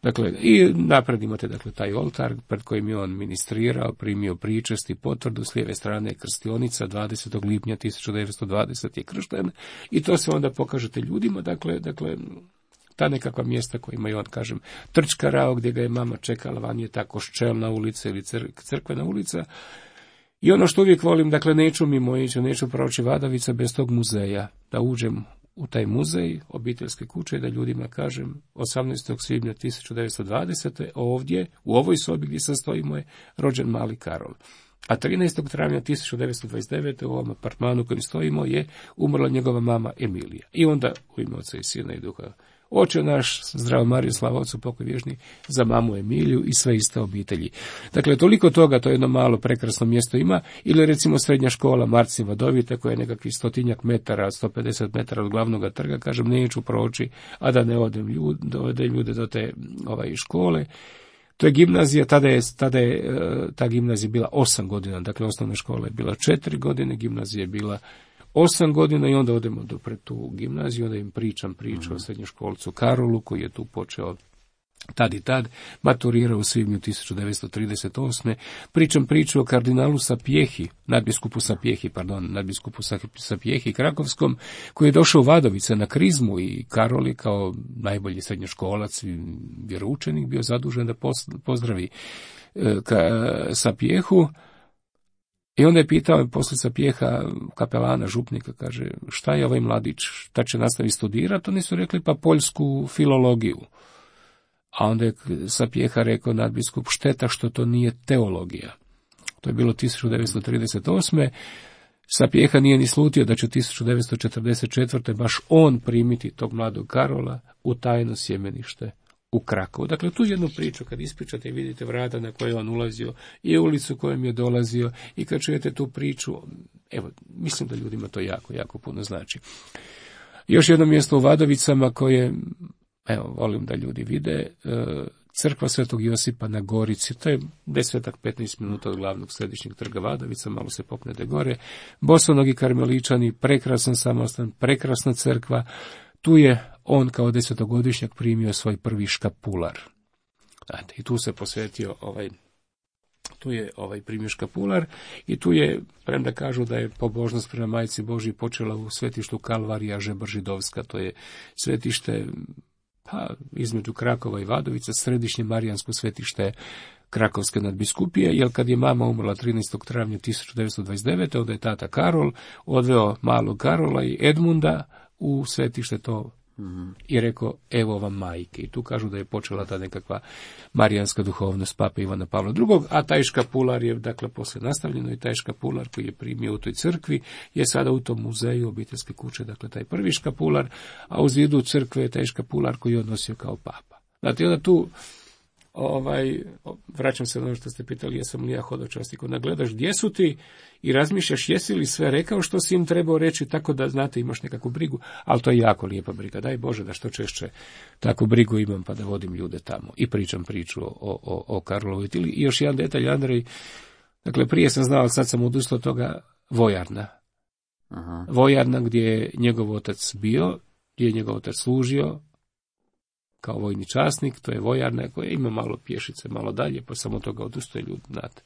Dakle, i napred imate, dakle, taj oltar pred kojim je on ministrirao, primio pričest i potvrdu, s lijeve strane je krstionica, dvadesetog lipnja tisuću devetsto dvadesete je kršten, i to se onda pokažete ljudima, dakle, dakle, ta nekakva mjesta kojima je on, kažem, trčkarao, gdje ga je mama čekala, van je ta Koščelna ulica ili crkvena ulica. I ono što uvijek volim, dakle, neću mimo ići, neću proći Vadovica bez tog muzeja, da uđem u taj muzej obiteljske kuće i da ljudima kažem, osamnaestog svibnja tisuću devetsto dvadesete ovdje, u ovoj sobi gdje sad stojimo, je rođen mali Karol. A trinaestog travnja tisuću devetsto dvadeset devete u ovom apartmanu kojim stojimo je umrla njegova mama Emilija. I onda u ime Oca i Sina i Duha, Oče naš, zdravo Mariju, slava Otcu, pokoj vječni, za mamu Emiliju i sve iste obitelji. Dakle, toliko toga to jedno malo prekrasno mjesto ima, ili recimo srednja škola Marcin Vadovite, koja je nekakvih stotinjak metara, sto pedeset metara od glavnog trga, kažem, neću proći, a da ne odem ljude, dovedem ljude do te ovaj, škole. To je gimnazija, tada je, tada je ta gimnazija bila osam godina, dakle osnovna škola je bila četiri godine, gimnazija je bila osam godina, i onda odemo do pred tu gimnaziju, onda im pričam priču mm. o srednjoškolcu Karolu, koji je tu počeo tad i tad, maturirao u svibnju tisuću devetsto trideset osme. Pričam priču o kardinalu Sapiehi, nadbiskupu Sapiehi, pardon, nadbiskupu Sapiehi Krakovskom, koji je došao u Vadovice na krizmu i Karol je kao najbolji srednjoškolac i vjeroučenik bio zadužen da pozdravi Sapiehu. I onda je pitao poslije Sapieha kapelana, župnika, kaže, šta je ovaj mladić, šta će nastaviti studirati? Oni su rekli, pa poljsku filologiju. A onda je Sapieha rekao nadbiskup, šteta što to nije teologija. To je bilo tisuću devetsto trideset osme. Sapieha nije ni slutio da će tisuću devetsto četrdeset četvrte baš on primiti tog mladog Karola u tajno sjemenište u Krakovu. Dakle, tu jednu priču, kad ispričate i vidite vrata na koje je on ulazio i ulicu kojom je dolazio i kad čujete tu priču, evo, mislim da ljudima to jako, jako puno znači. Još jedno mjesto u Vadovicama koje, evo, volim da ljudi vide, crkva Svetog Josipa na Gorici, to je desetak, petnaest minuta od glavnog središnjeg trga Vadovica, malo se popnete gore, bosonogi karmeličani, prekrasan samostan, prekrasna crkva. Tu je on kao desetogodišnjak primio svoj prvi škapular. Znate, i tu se posvetio ovaj, tu je ovaj primio škapular i tu je, premda kažu da je pobožnost prema Majci Božji počela u svetištu Kalvarija Žebar-Židovska, to je svetište pa, između Krakova i Vadovica, središnje marijansko svetište Krakovske nadbiskupije, jer kad je mama umrla trinaestog travnja tisuću devetsto dvadeset devete. onda je tata Karol odveo malog Karola i Edmunda u svetište to mm-hmm. i rekao, evo vam majke. I tu kažu da je počela ta nekakva marijanska duhovnost pape Ivana Pavla drugog. A taj škapular je, dakle, poslije nastavljeno i taj škapular koji je primio u toj crkvi je sada u tom muzeju obiteljske kuće, dakle, taj prvi škapular, a u zidu crkve je taj škapular koji je odnosio kao papa. Znate, onda tu Ovaj, vraćam se na ono što ste pitali, jesam li ja hodočasnik, onda gledaš gdje su ti i razmišljaš jesi li sve rekao što si im trebao reći, tako da, znate, imaš nekakvu brigu, ali to je jako lijepa briga, daj Bože da što češće takvu brigu imam pa da vodim ljude tamo i pričam priču o, o, o Karlovoj tili. I još jedan detalj, Andrej, dakle, prije sam znao, sad sam odustao od toga, vojarna. Aha. Vojarna gdje je njegov otac bio, gdje je njegov otac služio kao vojni časnik, to je vojarna koja ima malo pješice, malo dalje, pa samo toga odustaje ljudi, znate.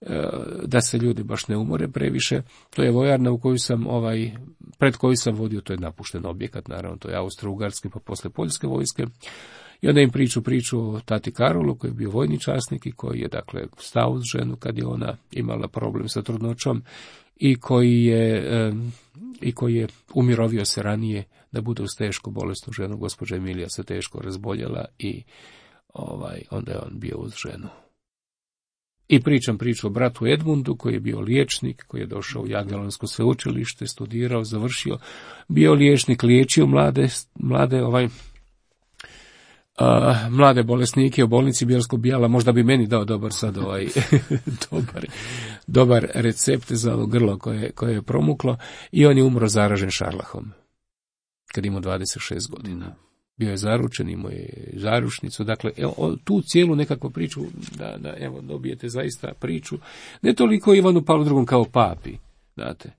E, da se ljudi baš ne umore previše. To je vojarna u koju sam, ovaj, pred koju sam vodio, to je napušten objekat, naravno, to je Austro-Ugarske, pa posle Poljske vojske. I onda im priču priču o tati Karolu, koji je bio vojni časnik i koji je, dakle, stao uz ženu kad je ona imala problem sa trudnoćom i koji je, e, i koji je umirovio se ranije da bude uz tešku bolesnu ženu. Gospođa Emilija se teško razboljela i ovaj, onda je on bio uz ženu. I pričam priču o bratu Edmundu, koji je bio liječnik, koji je došao u Jagiellonsko sveučilište, studirao, završio, bio liječnik, liječio mlade, mlade ovaj, a, mlade bolesnike u bolnici Bjelsko-Bijala. Možda bi meni dao dobar sad ovaj, dobar, dobar recept za ono grlo koje, koje je promuklo i on je umro zaražen šarlahom kad imao dvadeset šest godina. Bio je zaručen, imao je zaručnicu, dakle, evo, tu cijelu nekakvu priču, da, da, evo, dobijete zaista priču, ne toliko Ivanu Pavlu drugom kao papi, znate,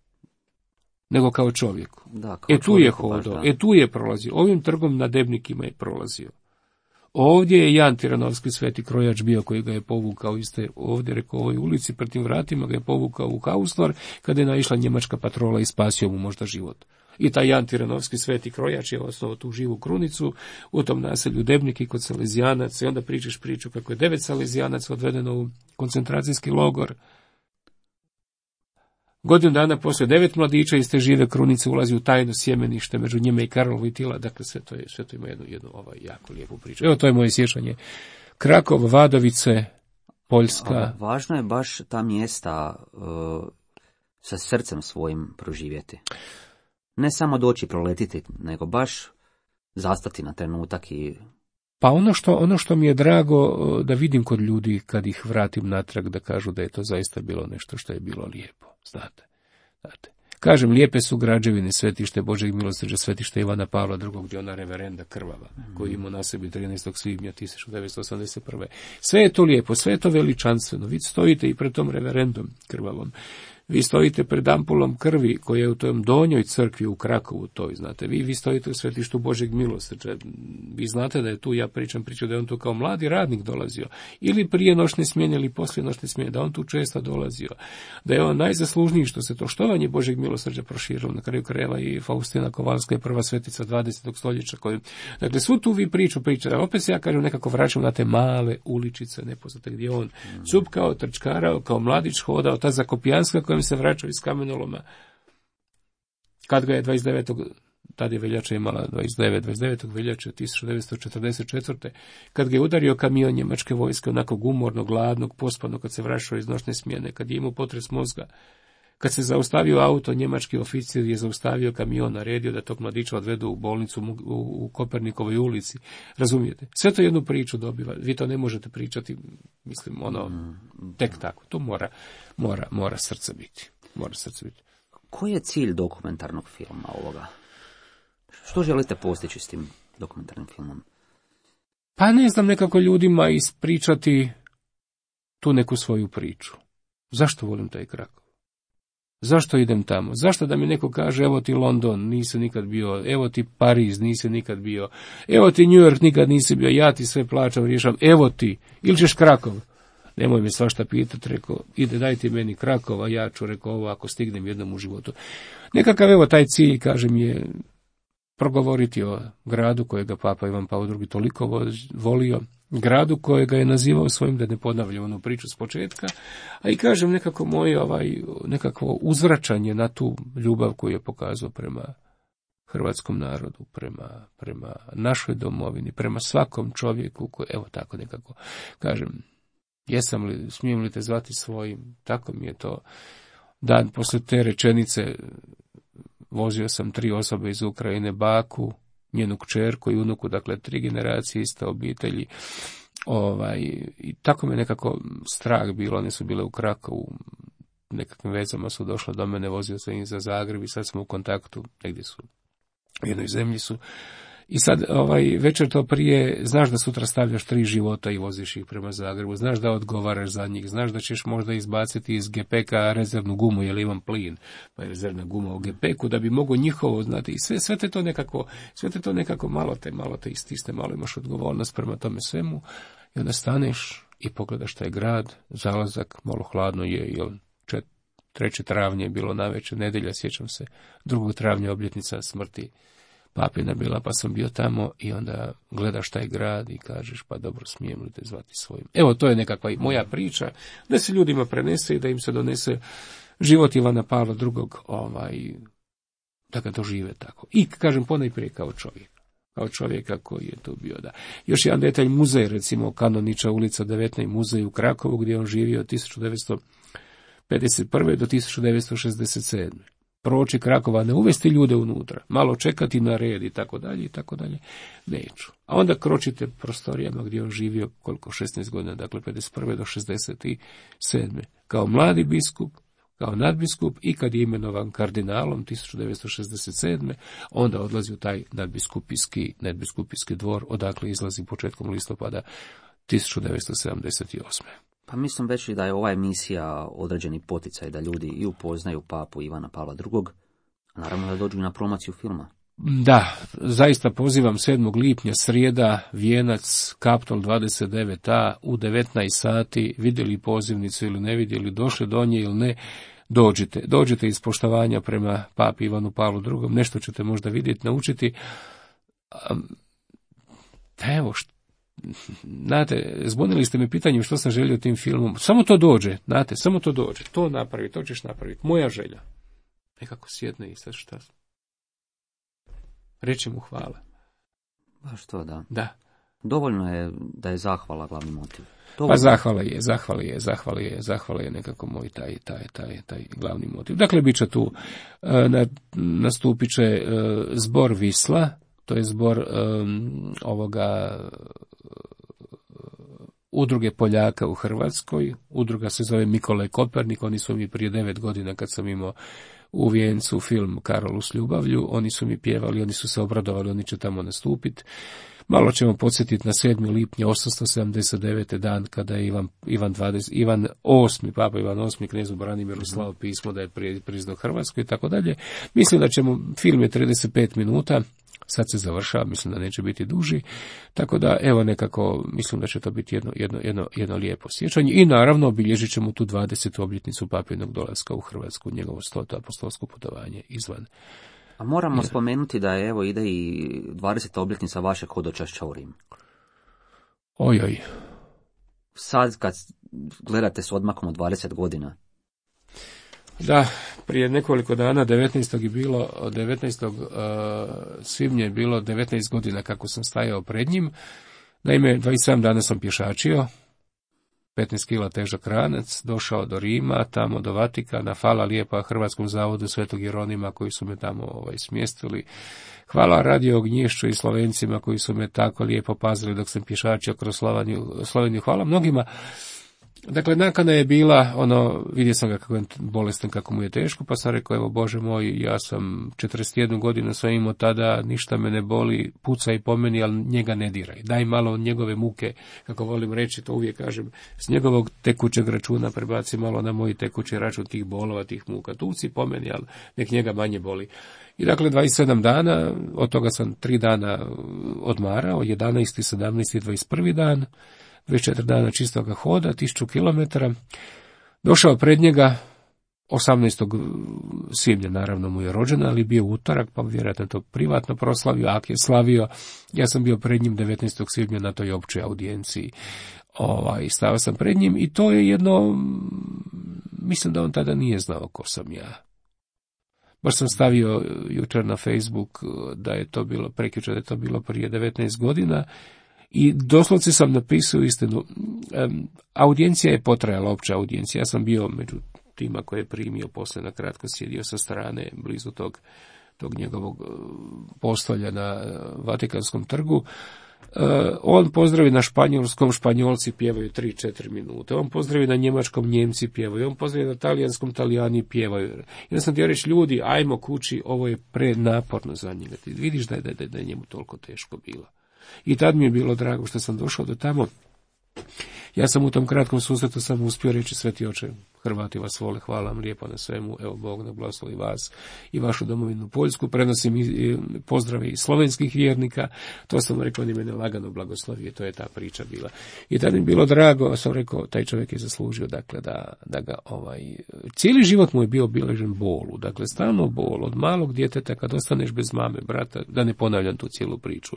nego kao čovjeku. Da, kao e tu je hodao, e tu je prolazio, ovim trgom na Debnikima je prolazio. Ovdje je Jan Tiranovski sveti krojač bio koji ga je povukao iste, ovdje rekao u ovoj ulici pred tim vratima ga je povukao u Hauslar kada je naišla njemačka patrola i spasio mu možda život. I taj Jan Tiranovski sveti krojač je osnovao tu živu krunicu u tom naselju Debniki kod Salezijanaca i onda pričaš priču kako je devet Salezijanaca odvedeno u koncentracijski logor. Godinu dana poslije devet mladića iz te žive krunice ulazi u tajno sjemenište među njima i Karlovo i Tila, dakle sve to je, sve to ima jednu, jednu ovaj, jako lijepu priču. Evo to je moje sjećanje. Krakov, Vadovice, Poljska. A, važno je baš ta mjesta uh, sa srcem svojim proživjeti. Ne samo doći proletiti, nego baš zastati na trenutak i... Pa ono što, ono što mi je drago da vidim kod ljudi kad ih vratim natrag, da kažu da je to zaista bilo nešto što je bilo lijepo, znate. znate. Kažem, lijepe su građevine, svetište Božeg milosrđa, svetište Ivana Pavla drugog, gdje ona reverenda krvava, mm. koji imao na sebi trinaestog svibnja tisuću devetsto osamdeset prve. Sve je to lijepo, sve je to veličanstveno, vi stojite i pred tom reverendom krvavom. Vi stojite pred ampulom krvi koja je u tom donjoj crkvi u Krakovu toj, znate. Vi, vi stojite u svetištu Božjeg milosrđa. Vi znate da je tu, ja pričam priču da je on tu kao mladi radnik dolazio. Ili prije noćne smjene ili poslije noćne smjene, da on tu često dolazio. Da je on najzaslužniji što se to štovanje Božjeg milosrđa proširilo. Na kraju krajeva i Faustina Kovalska je prva svetica dvadesetog stoljeća. Koju, dakle, svu tu vi priču pričate. Opet se ja kažem nekako vraćam na te male uličice nepoznate gdje on cupkao, trčkarao, kao mladić hodao, ta Zakopijanska kojem se vraćao iz kamenoloma. Kad ga je dvadeset devetog tad je veljača imala dvadeset devet, dvadeset devetog veljače tisuću devetsto četrdeset četvrte kad ga je udario kamion njemačke vojske, onako umorno, gladnog, pospanog, kad se vraćao iz noćne smjene, kad je imao potres mozga, kad se zaustavio auto, njemački oficir je zaustavio kamion, naredio da tog mladića odvedu u bolnicu u, u, u Kopernikovoj ulici. Razumijete? Sve to jednu priču dobiva. Vi to ne možete pričati, mislim, ono, tek tako. To mora, mora, mora srce biti. Mora srce biti. Koji je cilj dokumentarnog filma ovoga? Što želite postići s tim dokumentarnim filmom? Pa ne znam, nekako ljudima ispričati tu neku svoju priču. Zašto volim taj Krakov? Zašto idem tamo? Zašto da mi neko kaže, evo ti London, nisi nikad bio, evo ti Pariz, nisi nikad bio, evo ti New York, nikad nisi bio, ja ti sve plaćam, rješam, evo ti, ili ćeš Krakov? Nemoj me svašta pitati, rekao, ide dajte meni Krakova, ja ću, rekao, ovo ako stignem jednom u životu. Nekakav, evo, taj cilj, kažem, je progovoriti o gradu kojega Papa Ivan Pavao drugi toliko volio, gradu kojega je nazivao svojim, da ne ponavljam onu priču s početka, a i kažem nekako moje ovaj, nekakvo uzvraćanje na tu ljubav koju je pokazao prema hrvatskom narodu, prema, prema našoj domovini, prema svakom čovjeku koji, evo tako nekako, kažem, jesam li, smijem li te zvati svojim, tako mi je to dan posle te rečenice. Vozio sam tri osobe iz Ukrajine, baku, njenu kćerku i unuku, dakle tri generacije iste obitelji. Ovaj, i tako me nekako strah bilo, one su bile u Krakovu, nekakvim vezama su došle do mene, vozio sam ih za Zagreb i sad smo u kontaktu, negdje su, u jednoj zemlji su. I sad, ovaj, večer to prije, znaš da sutra stavljaš tri života i voziš ih prema Zagrebu, znaš da odgovaraš za njih, znaš da ćeš možda izbaciti iz gepeka rezervnu gumu, jer imam plin, pa je rezervna guma u gepeku, da bi mogo njihovo, znate, i sve, sve te to nekako, sve te to nekako malo te, malo te istisne, malo imaš odgovornost prema tome svemu, i onda staneš i pogledaš taj grad, zalazak, malo hladno je, jel, trećeg travnja je bilo navečer, nedjelja, sjećam se, drugog travnja obljetnica smrti papina bila, pa sam bio tamo i onda gledaš taj grad i kažeš, pa dobro, smijem li te zvati svojim. Evo, to je nekakva i moja priča, da se ljudima prenese i da im se donese život Ivana Pavla drugog, ovaj, da ga dožive tako. I, kažem, ponajprije kao čovjek. Kao čovjeka koji je tu bio, da. Još jedan detalj, muzej, recimo, Kanoniča ulica devetnaest, muzej u Krakovu, gdje on živio od tisuću devetsto pedeset prve do tisuću devetsto šezdeset sedme Proći Krakova, ne uvesti ljude unutra, malo čekati na red i tako dalje i tako dalje, neću. A onda kročite prostorijama gdje on živio koliko, šesnaest godina, dakle pedeset prve do šezdeset sedme Kao mladi biskup, kao nadbiskup i kad je imenovan kardinalom tisuću devetsto šezdeset sedme onda odlazi u taj nadbiskupijski, nadbiskupijski dvor, odakle izlazi početkom listopada tisuću devetsto sedamdeset osme Pa mislim već i da je ova emisija određeni poticaj da ljudi i upoznaju papu Ivana Pavla drugog, a naravno da dođu na promociju filma. Da, zaista pozivam sedmog lipnja, srijeda, Vijenac, Kaptol dvadeset devet A, u devetnaest sati, vidjeli pozivnicu ili ne vidjeli, došli do nje ili ne, dođite. Dođite iz poštovanja prema papi Ivanu Pavlu drugom, nešto ćete možda vidjeti, naučiti. Evo što. Znate, zbunili ste me pitanjem što sam želio tim filmom. Samo to dođe, znate, samo to dođe. To napravi, to ćeš napraviti. Moja želja. Nekako sjedne i sad šta? Reći mu hvala. Baš to, da. Da. Dovoljno je da je zahvala glavni motiv. Dovoljno. Pa zahvala je, zahvala je, zahvala je, zahvala je nekako moj taj, taj, taj, taj glavni motiv. Dakle, bit će tu, na, nastupit će zbor Visla, to je zbor um, ovoga udruge Poljaka u Hrvatskoj. Udruga se zove Mikolaj Kopernik, oni su mi prije devet godina kad sam imao u Vijencu film Karolu s ljubavlju, oni su mi pjevali, oni su se obradovali, oni će tamo nastupiti. Malo ćemo podsjetiti na sedmi lipnja osamsto sedamdeset devete. dan kada je Ivan, Ivan, dvadeset, Ivan osmi, papa Ivan osmi, knezu Branimiru slao pismo da je priznao Hrvatsku i tako dalje. Mislim da ćemo, film je trideset pet minuta, sad se završava, mislim da neće biti duži, tako da evo nekako mislim da će to biti jedno, jedno, jedno, jedno lijepo sjećanje i naravno obilježit ćemo tu dvadesetu obljetnicu papinog dolaska u Hrvatsku, njegovo stoto apostolsko putovanje izvan. A moramo spomenuti da je, evo, ide i dvadeseta obljetnica vašeg hodočašća u Rim. Ojoj. Sad kad gledate s odmakom od dvadeset godina. Da, prije nekoliko dana, devetnaestog je bilo, devetnaestog svibnja je bilo devetnaest godina kako sam stajao pred njim. Naime, dvadeset sedam dana sam pješačio, petnaest kila težak ranac, došao do Rima, tamo do Vatikana, hvala lijepa Hrvatskom zavodu Svetog Jeronima koji su me tamo ovaj, smjestili. Hvala Radio Ognješću i Slovencima koji su me tako lijepo pazili dok sam pješačio kroz Sloveniju. Sloveniju. Hvala mnogima. Dakle, nakana je bila, ono, vidio sam ga kako je bolestan, kako mu je teško, pa sam rekao, evo Bože moj, ja sam četrdeset jednu godinu sam imao tada, ništa me ne boli, pucaj po meni, ali njega ne diraj. Daj malo od njegove muke, kako volim reći, to uvijek kažem, s njegovog tekućeg računa prebaci malo na moj tekući račun tih bolova, tih muka. Tuci po meni, ali nek njega manje boli. I dakle, dvadeset sedam dana, od toga sam tri dana odmarao, jedanaesti, sedamnaesti i dvadeset prvi dan, dvadeset četiri dana čistoga hoda, tisuću kilometara. Došao pred njega, osamnaestog svibnja naravno mu je rođena, ali bio utorak, pa vjerojatno to privatno proslavio, ak je slavio. Ja sam bio pred njim devetnaestog svibnja na toj općoj audijenciji. Ovaj, stao sam pred njim i to je jedno, mislim da on tada nije znao ko sam ja. Baš sam stavio jučer na Facebook da je to bilo, prekjučer da je to bilo prije devetnaest godina, i doslovce sam napisao istinu. Um, audijencija je potrajala, opća audijencija. Ja sam bio među tima koje je primio, poslije na kratko sjedio sa strane, blizu tog, tog njegovog postolja na Vatikanskom trgu. Uh, on pozdravi na španjolskom, Španjolci pjevaju tri četiri minute. On pozdravi na njemačkom, Njemci pjevaju. On pozdravi na talijanskom, Talijani pjevaju. Ja sam ti reći, ljudi, ajmo kući, ovo je prenaporno za njega. Ti vidiš da je, da, je, da je njemu toliko teško bilo. I tad mi je bilo drago što sam došao do tamo. Ja sam u tom kratkom susretu sam uspio reći, Sveti Oče, Hrvati vas vole, hvala vam lijepo na svemu, evo Bog da blagoslovi vas i vašu domovinu Poljsku, prenosim i pozdrave i slovenskih vjernika, to sam rekao, ni mene lagano blagoslovije, to je ta priča bila. I tad mi je bilo drago, sam rekao, taj čovjek je zaslužio, dakle, da, da ga, ovaj, cijeli život mu je bio obilježen bolu, dakle, stalno bol, od malog djeteta kad ostaneš bez mame, brata, da ne ponavljam tu cijelu priču,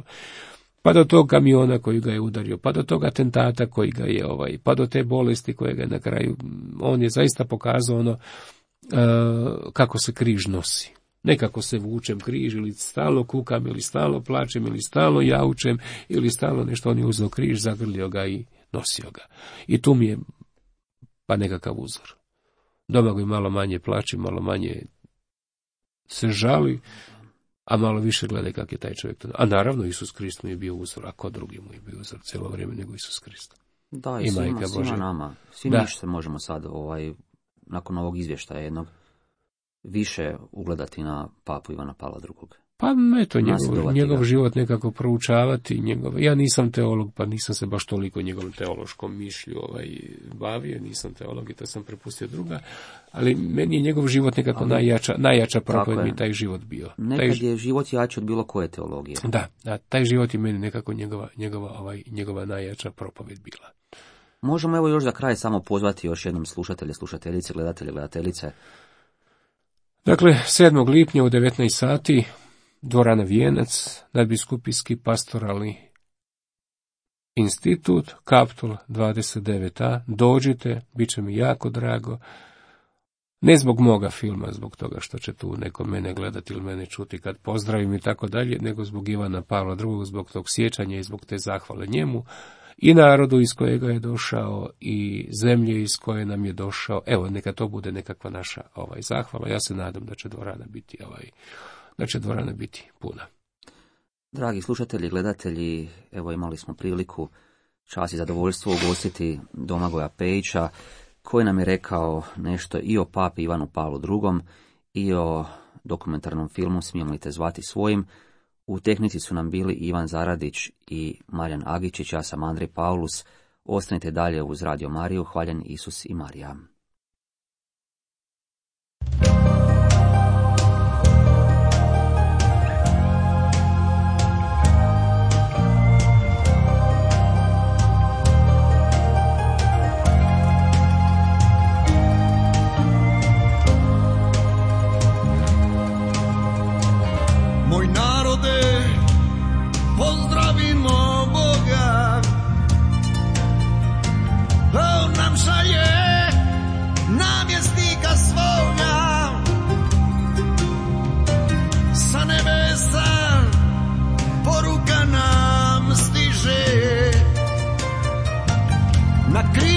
pa do tog kamiona koji ga je udario, pa do tog atentata koji ga je, ovaj, pa do te bolesti koje ga je na kraju, on je zaista pokazao ono uh, kako se križ nosi. Nekako se vučem križ, ili stalno kukam, ili stalno plačem, ili stalno jaučem, ili stalno nešto, on je uzeo križ, zagrlio ga i nosio ga. I tu mi je pa nekakav uzor. Domagoj malo manje plači, malo manje se žali, a malo više gledaj kak je taj čovjek to. A naravno Isus Krist mu je bio uzor, a ko drugi mu je bio uzor cijelo vrijeme nego Isus Krist. Da, i, I svima, svima nama. Svi mi se možemo sad, ovaj, nakon ovog izvještaja jednog, više ugledati na papu Ivana Pavla drugog. Pa eto, njegov, njegov život nekako proučavati. Njegov, ja nisam teolog, pa nisam se baš toliko njegovom teološkom mišlju ovaj, bavio, nisam teolog i to sam prepustio druga, ali meni je njegov život nekako ali, najjača, najjača propoved mi taj život bio. Nekad taj, je život jači od bilo koje teologije. Da, da, taj život je meni nekako njegova, njegova, ovaj, njegova najjača propoved bila. Možemo evo još za kraj samo pozvati još jednom slušatelje, slušateljice, gledatelje, gledateljice. Dakle, sedmog lipnja u devetnaest sati, dvorana Vijenac, nadbiskupijski pastoralni institut, Kaptol dvadeset devet a, dođite, bit će mi jako drago, ne zbog moga filma, zbog toga što će tu neko mene gledati ili mene čuti kad pozdravim i tako dalje, nego zbog Ivana Pavla drugog, zbog tog sjećanja i zbog te zahvale njemu i narodu iz kojega je došao i zemlje iz koje nam je došao. Evo, neka to bude nekakva naša ovaj zahvala. Ja se nadam da će dvorana biti ovaj da će dvorana biti puna. Dragi slušatelji, gledatelji, evo imali smo priliku, čast i zadovoljstvo ugostiti Domagoja Pejića, koji nam je rekao nešto i o papi Ivanu Pavlu drugom i o dokumentarnom filmu Smijemo li te zvati svojim, U tehnici su nam bili Ivan Zaradić i Marijan Agičić, ja sam Andrej Paulus. Ostanite dalje uz Radio Mariju, hvaljen Isus i Marija. Moj narode, pozdravimo Boga, on nam šalje namjesnika svoga, sa nebesa poruka nam stiže, na križ